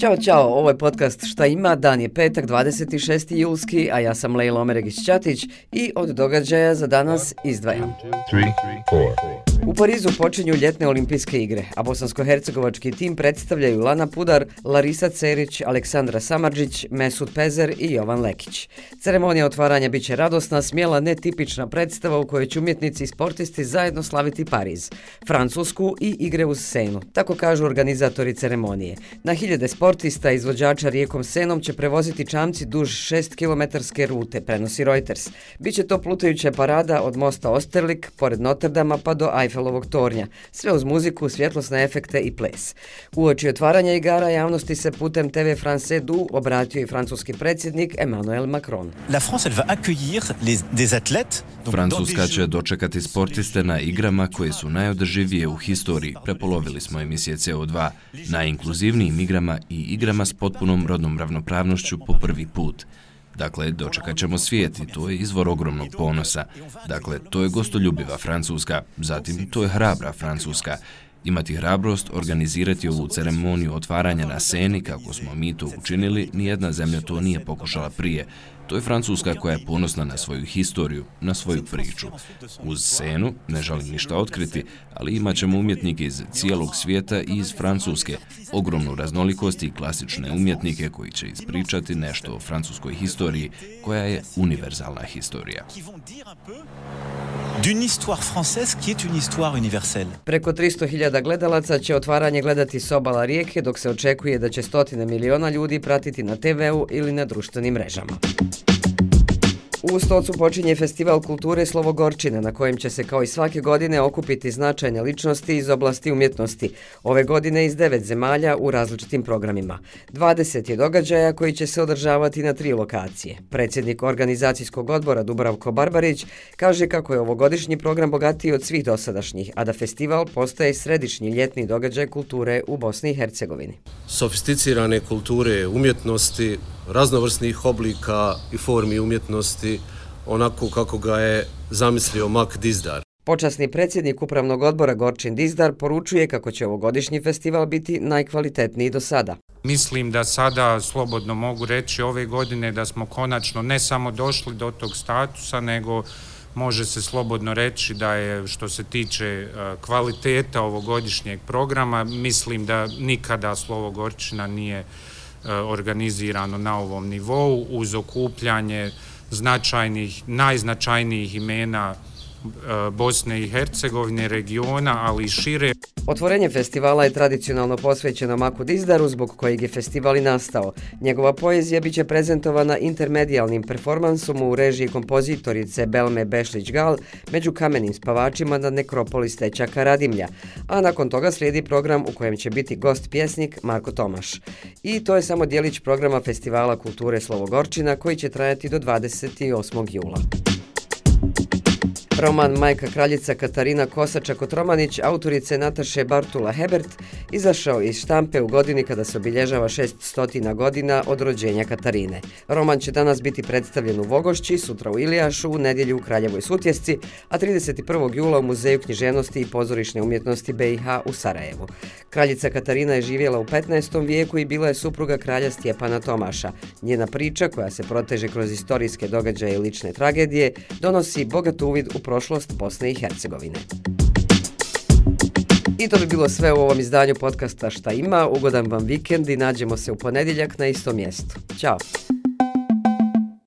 Ćao, ovo je podcast Šta ima, dan je petak, 26. julski, a ja sam Lejla Omeregić-Ćatić i od događaja za danas izdvajam. 3, 4. U Parizu počinju ljetne olimpijske igre, a bosansko-hercegovački tim predstavljaju Lana Pudar, Larisa Cerić, Aleksandra Samardžić, Mesut Pezer i Jovan Lekić. Ceremonija otvaranja biće radosna, smjela, netipična predstava u kojoj će umjetnici i sportisti zajedno slaviti Pariz, Francusku i igre uz Senu, tako kažu organizatori ceremonije. Na hiljade sportista i izvođača rijekom Senom će prevoziti čamci duž 6-kilometarske rute, prenosi Reuters. Biće to plutajuća parada od mosta Osterlik, pored Notrdama pa do Eiffelovog tornja, sve uz muziku, svjetlosne efekte i ples. Uoči otvaranja igara javnosti se putem TV France 2 obratio i francuski predsjednik Emmanuel Macron. La France elle va accueillir des athlètes. Francuska će dočekati sportiste na igrama koje su najodrživije u historiji. Prepolovili smo emisije CO2 na inkluzivnijim igrama i igrama s potpunom rodnom ravnopravnošću po prvi put. Dakle, dočekat ćemo svijet i to je izvor ogromnog ponosa. Dakle, to je gostoljubiva Francuska, zatim to je hrabra Francuska. Imati hrabrost, organizirati ovu ceremoniju otvaranja na Seni, kako smo mi to učinili, nijedna zemlja to nije pokušala prije. To je Francuska koja je ponosna na svoju historiju, na svoju priču. Uz Senu ne želim ništa otkriti, ali imat ćemo umjetnike iz cijelog svijeta i iz Francuske, ogromnu raznolikost i klasične umjetnike koji će ispričati nešto o francuskoj historiji, koja je univerzalna historija. D'une histoire française qui est une histoire universelle. Preko 300.000 gledalaca će otvaranje gledati s obala rijeke, dok se očekuje da će stotine miliona ljudi pratiti na TV-u ili na društvenim mrežama. U Stocu počinje festival kulture Slovo-Gorčina, na kojem će se kao i svake godine okupiti značajne ličnosti iz oblasti umjetnosti. Ove godine iz 9 zemalja u različitim programima. 20 je događaja koji će se održavati na 3 lokacije. Predsjednik organizacijskog odbora Dubravko Barbarić kaže kako je ovogodišnji program bogatiji od svih dosadašnjih, a da festival postaje središnji ljetni događaj kulture u Bosni i Hercegovini. Sofisticirane kulture, umjetnosti, raznovrsnih oblika i formi umjetnosti, onako kako ga je zamislio Mak Dizdar. Počasni predsjednik upravnog odbora Gorčin Dizdar poručuje kako će ovogodišnji festival biti najkvalitetniji do sada. Mislim da sada slobodno mogu reći ove godine da smo konačno ne samo došli do tog statusa, nego može se slobodno reći da je, što se tiče kvaliteta ovogodišnjeg programa, mislim da nikada Slovo Gorčina nije organizirano na ovom nivou uz okupljanje najznačajnijih imena Bosne i Hercegovine, regiona, ali i šire. Otvorenje festivala je tradicionalno posvećeno Maku Dizdaru, zbog kojeg je festival i nastao. Njegova poezija biće prezentovana intermedijalnim performansom u režiji kompozitorice Belme Bešlić-Gal među kamenim spavačima na nekropoli Stećaka Radimlja, a nakon toga slijedi program u kojem će biti gost pjesnik Marko Tomaš. I to je samo djelić programa Festivala kulture Slovo-Gorčina koji će trajati do 28. jula. Roman Majka kraljica Katarina Kosača-Kotromanić, autorice Nataše Bartula-Hebert, izašao iz štampe u godini kada se obilježava 600 godina od rođenja Katarine. Roman će danas biti predstavljen u Vogošći, sutra u Ilijašu, u nedjelju u Kraljevoj Sutjesci, a 31. jula u Muzeju književnosti i pozorišne umjetnosti BiH u Sarajevu. Kraljica Katarina je živjela u 15. vijeku i bila je supruga kralja Stjepana Tomaša. Njena priča, koja se proteže kroz istorijske događaje i lične tragedije, donosi bogat uvid u prošlost Bosne i Hercegovine. I to bi bilo sve u ovom izdanju podcasta Šta ima. Ugodan vam vikend i nađemo se u ponedjeljak na istom mjestu. Ćao!